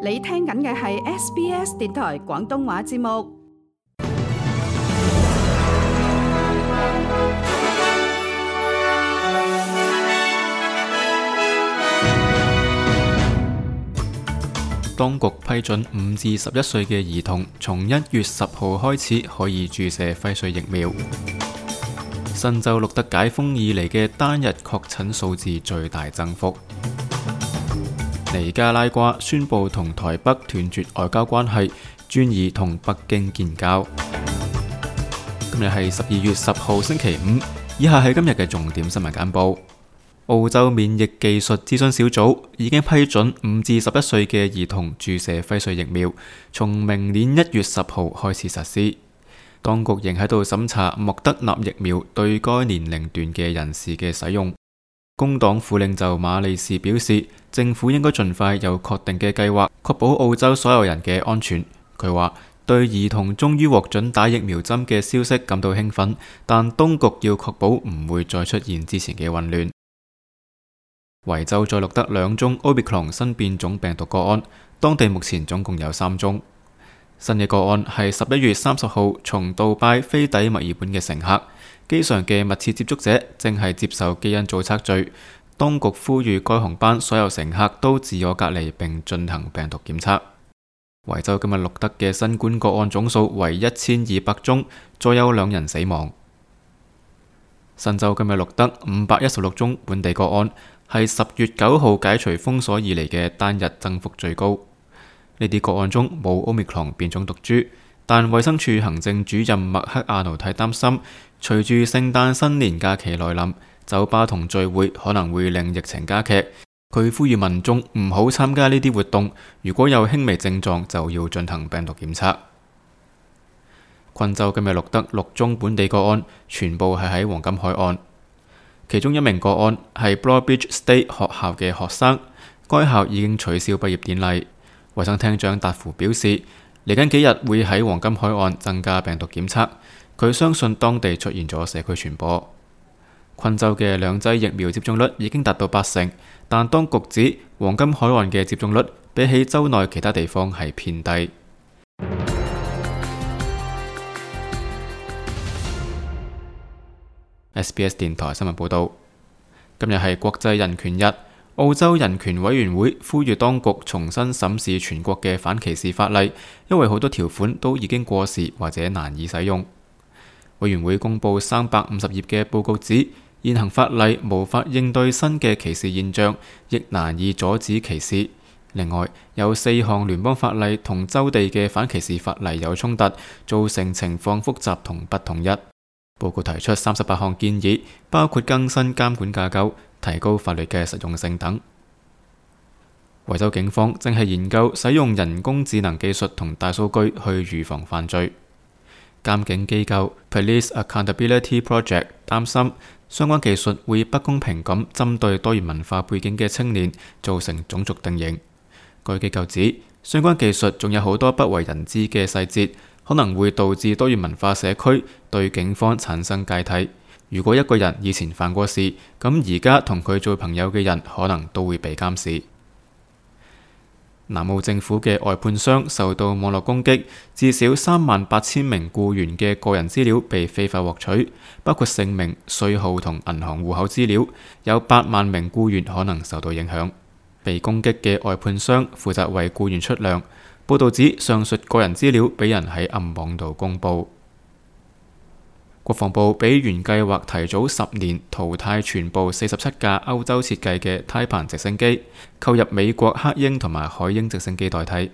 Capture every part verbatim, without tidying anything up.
你聽緊嘅係 S B S 電台廣東話節目。當局批准五至十一歲嘅兒童從一月十號開始可以注射輝瑞疫苗。新州錄得解封以嚟嘅單日確診數字最大增幅。尼加拉瓜宣布同台北斷絕外交關係，專意同北京建交。今日係十二月十號星期五，以下係今日嘅重點新聞簡報。澳洲免疫技術諮詢小組已經批准五至十一歲嘅兒童注射輝瑞疫苗，從明年一月十號開始實施。當局仍喺度審查莫德納疫苗對該年齡段嘅人士嘅使用。工黨副領袖馬利士表示，政府應該盡快有確定嘅計劃，確保澳洲所有人嘅安全。佢話對兒童終於獲准打疫苗針嘅消息感到興奮，但當局要確保唔會再出現之前嘅混亂。維州再錄得兩宗 Omicron 新變種病毒個案，當地目前總共有三宗。新嘅個案係十一月三十號從杜拜飛抵墨爾本嘅乘客，機上嘅密切接觸者正係接受基因組測序。當局呼籲該航班所有乘客都自我隔離並進行病毒檢測。維州今日錄得嘅新冠個案總數為一千二百宗，再有兩人死亡。新州今日錄得五百一十六宗本地個案，係十月九號解除封鎖以嚟嘅單日增幅最高。呢啲個案中冇 Omicron 變種毒株，但衛生署行政主任麥克亞奴太擔心，隨住聖誕新年假期來臨，酒吧同聚會可能會令疫情加劇。佢呼籲民眾唔好參加呢啲活動，如果有輕微症狀就要進行病毒檢測。昆州今日錄得六宗本地個案，全部係喺黃金海岸。其中一名個案係 Broadbeach State 學校嘅學生，該校已經取消畢業典禮。衛生廳長達芙表示，嚟緊幾日會喺黃金海岸增加病毒檢測。佢相信當地出現咗社區傳播。昆州嘅兩劑疫苗接種率已經達到八成，但當局指黃金海岸嘅接種率比起州內其他地方係偏低。S B S 電台新聞報道，今日係國際人權日。澳洲人權委員會呼籲當局重新審視全國嘅反歧視法例，因為好多條款都已經過時或者難以使用。委員會公布三百五十頁嘅報告指，現行法例無法應對新嘅歧視現象，亦難以阻止歧視。另外，有四項聯邦法例同州地嘅反歧視法例有衝突，造成情況複雜同不統一。報告提出三十八項建議，包括更新監管架構、提高法律嘅實用性等。維州警方正係研究使用人工智能技術同大數據去預防犯罪。監警機構 Police Accountability Project 擔心相關技術會不公平咁針對多元文化背景嘅青年，造成種族定型。該機構指，相關技術仲有好多不為人知嘅細節，可能會導致多元文化社區對警方產生芥蒂。如果一個人以前犯過事，咁而家同佢做朋友嘅人可能都會被監視。南澳政府嘅外判商受到網絡攻擊，至少三萬八千名僱員嘅個人資料被非法獲取，包括姓名、稅號同銀行戶口資料，有八萬名僱員可能受到影響。被攻擊嘅外判商負責為僱員出糧。報導指上述個人資料俾人喺暗網度公佈。國防部比原計劃提早十年淘汰全部四十七架歐洲設計嘅胎盤直升機，購入美國黑鷹同埋海鷹直升機代替。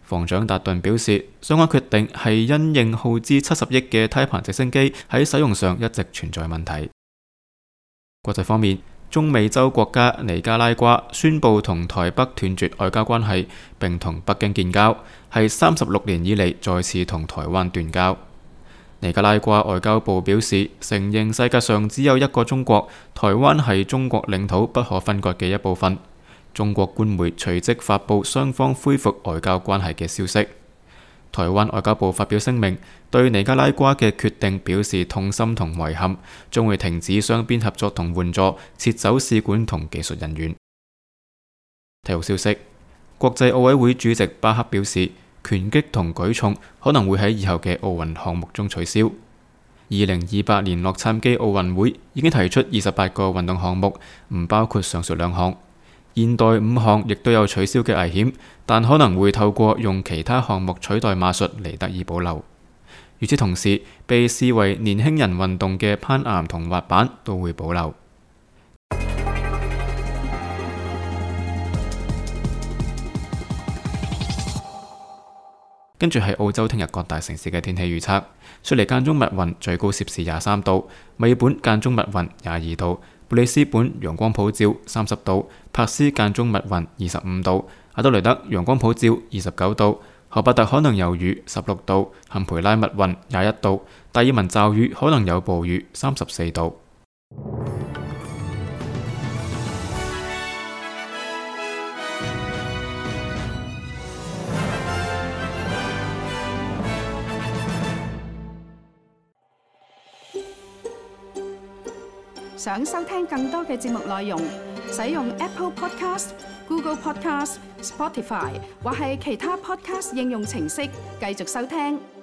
防長達頓表示，相關決定係因應耗資七十億嘅胎盤直升機喺使用上一直存在問題。國際方面，中美洲國家尼加拉瓜宣布同台北斷絕外交關係，並同北京建交，係三十六年以嚟再次同台灣斷交。尼加拉瓜外交部表示，承認世界上只有一個中國，台灣係中國領土不可分割嘅一部分。中國官媒隨即發布雙方恢復外交關係嘅消息。台灣外交部發表聲明，對尼加拉瓜嘅決定表示痛心同遺憾，將會停止雙邊合作同援助，撤走使館同技術人員。體育消息。國際奧委會主席巴克表示，拳擊同舉重可能會喺以後嘅奧運項目中取消。二零二八年洛杉磯奧運會已經提出二十八個運動項目，唔包括上述兩項。現代五項亦都有取消嘅危險，但可能會透過用其他項目取代馬術嚟得以保留。與此同時，被視為年輕人運動嘅攀岩同滑板都會保留。跟住係澳洲聽日各大城市嘅天氣預測：雪梨間中密雲，最高攝氏廿三度；墨爾本間中密雲，廿二度；布里斯本陽光普照，三十度；珀斯間中密雲，二十五度；阿德雷德陽光普照，二十九度；荷伯特可能有雨，十六度；坎培拉密雲，廿一度；達爾文驟雨可能有暴雨，三十四度。想收聽更多嘅節目內容，使用 Apple Podcast、Google Podcast、Spotify 或係其他 Podcast 應用程式繼續收聽。